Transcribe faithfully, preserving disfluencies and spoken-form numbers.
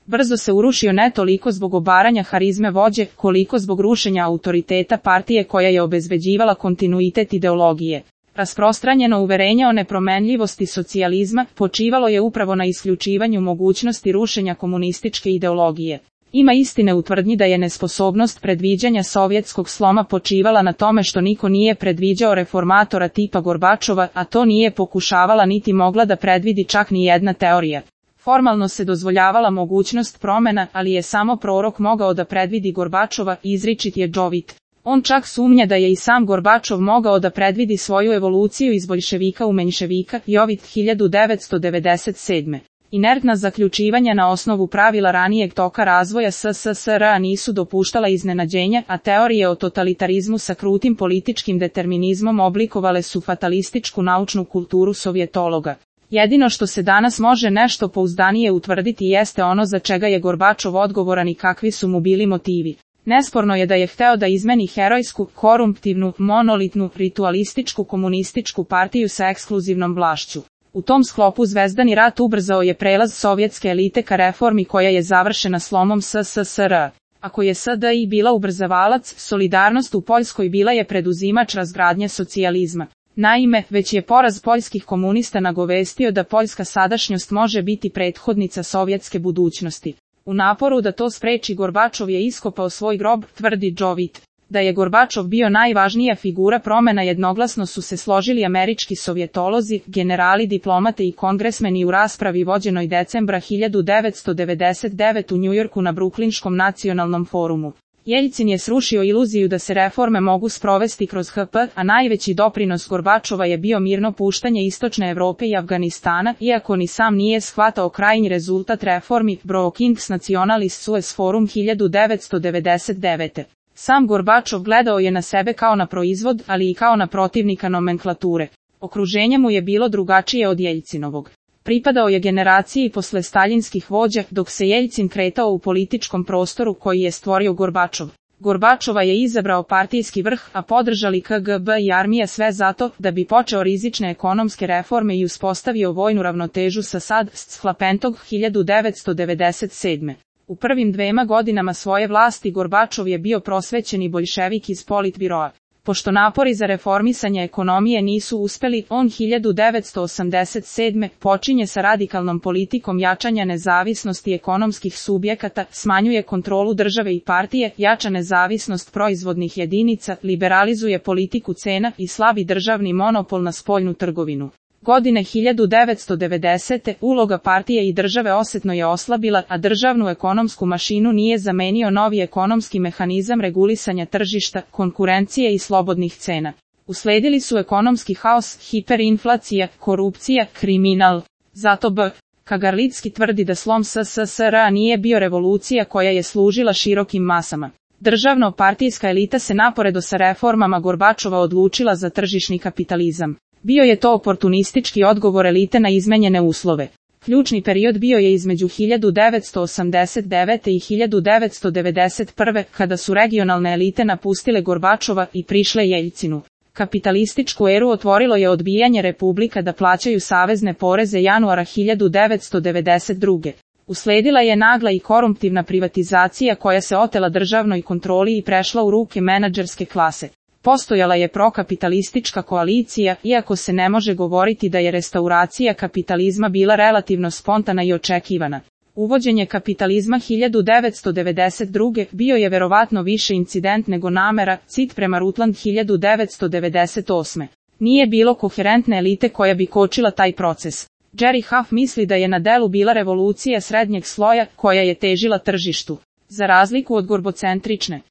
brzo se urušio ne toliko zbog obaranja harizme vođe, koliko zbog rušenja autoriteta partije koja je obezbeđivala kontinuitet ideologije. Rasprostranjeno uverenje o nepromenljivosti socijalizma počivalo je upravo na isključivanju mogućnosti rušenja komunističke ideologije. Ima istine u tvrdnji da je nesposobnost predviđanja sovjetskog sloma počivala na tome što niko nije predviđao reformatora tipa Gorbačova, a to nije pokušavala niti mogla da predvidi čak ni jedna teorija. Formalno se dozvoljavala mogućnost promena, ali je samo prorok mogao da predvidi Gorbačova, izričit je Jovit. On čak sumnja da je i sam Gorbačov mogao da predvidi svoju evoluciju iz boljševika u menjševika, Jovit hiljadu devetsto devedeset sedme. Inertna zaključivanja na osnovu pravila ranijeg toka razvoja S S S R nisu dopuštala iznenađenja, a teorije o totalitarizmu sa krutim političkim determinizmom oblikovale su fatalističku naučnu kulturu sovjetologa. Jedino što se danas može nešto pouzdanije utvrditi jeste ono za čega je Gorbačov odgovoran i kakvi su mu bili motivi. Nesporno je da je hteo da izmeni herojsku, korumptivnu, monolitnu, ritualističku komunističku partiju sa ekskluzivnom vlašću. U tom sklopu Zvezdani rat ubrzao je prelaz sovjetske elite ka reformi koja je završena slomom S S S R. Ako je S D I bila ubrzavalac, Solidarnost u Poljskoj bila je preduzimač razgradnje socijalizma. Naime, već je poraz poljskih komunista nagovestio da poljska sadašnjost može biti prethodnica sovjetske budućnosti. U naporu da to spreči Gorbačov je iskopao svoj grob, tvrdi Jovit. Da je Gorbačov bio najvažnija figura promena jednoglasno su se složili američki sovjetolozi, generali, diplomate i kongresmeni u raspravi vođenoj decembra hiljadu devetsto devedeset devete u Njujorku na Bruklinškom nacionalnom forumu. Jeljcin je srušio iluziju da se reforme mogu sprovesti kroz H P, a najveći doprinos Gorbačova je bio mirno puštanje Istočne Evrope i Afganistana, iako ni sam nije shvatao krajnji rezultat reformi, Brookings Nationalist Suez Forum hiljadu devetsto devedeset devete. Sam Gorbačov gledao je na sebe kao na proizvod, ali i kao na protivnika nomenklature. Okruženje mu je bilo drugačije od Jeljcinovog. Pripadao je generaciji posle staljinskih vođa, dok se Jeljcin kretao u političkom prostoru koji je stvorio Gorbačov. Gorbačova je izabrao partijski vrh, a podržali K G B i armija, sve zato da bi počeo rizične ekonomske reforme i uspostavio vojnu ravnotežu sa Sad Schlapentog hiljadu devetsto devedeset sedme. U prvim dvema godinama svoje vlasti Gorbačov je bio prosvećeni boljševik iz Politbiroa. Pošto napori za reformisanje ekonomije nisu uspeli, on hiljadu devetsto osamdeset sedme počinje sa radikalnom politikom jačanja nezavisnosti ekonomskih subjekata, smanjuje kontrolu države i partije, jača nezavisnost proizvodnih jedinica, liberalizuje politiku cena i slabi državni monopol na spoljnu trgovinu. Godine hiljadu devetsto devedesete uloga partije i države osetno je oslabila, a državnu ekonomsku mašinu nije zamenio novi ekonomski mehanizam regulisanja tržišta, konkurencije i slobodnih cena. Usledili su ekonomski haos, hiperinflacija, korupcija, kriminal. Zato B. Kagarlicki tvrdi da slom S S S R nije bio revolucija koja je služila širokim masama. Državno-partijska elita se naporedo sa reformama Gorbačova odlučila za tržišni kapitalizam. Bio je to oportunistički odgovor elite na izmenjene uslove. Ključni period bio je između hiljadu devetsto osamdeset devete i hiljadu devetsto devedeset prve, kada su regionalne elite napustile Gorbačova i prišle Jeljcinu. Kapitalističku eru otvorilo je odbijanje republika da plaćaju savezne poreze januara hiljadu devetsto devedeset druge. Usledila je nagla i korumptivna privatizacija koja se otela državnoj kontroli i prešla u ruke menadžerske klase. Postojala je prokapitalistička koalicija, iako se ne može govoriti da je restauracija kapitalizma bila relativno spontana i očekivana. Uvođenje kapitalizma hiljadu devetsto devedeset druge bio je verovatno više incident nego namera, cit prema Rutland hiljadu devetsto devedeset osme. Nije bilo koherentne elite koja bi kočila taj proces. Jerry Huff misli da je na delu bila revolucija srednjeg sloja koja je težila tržištu. Za razliku od gorbocentrične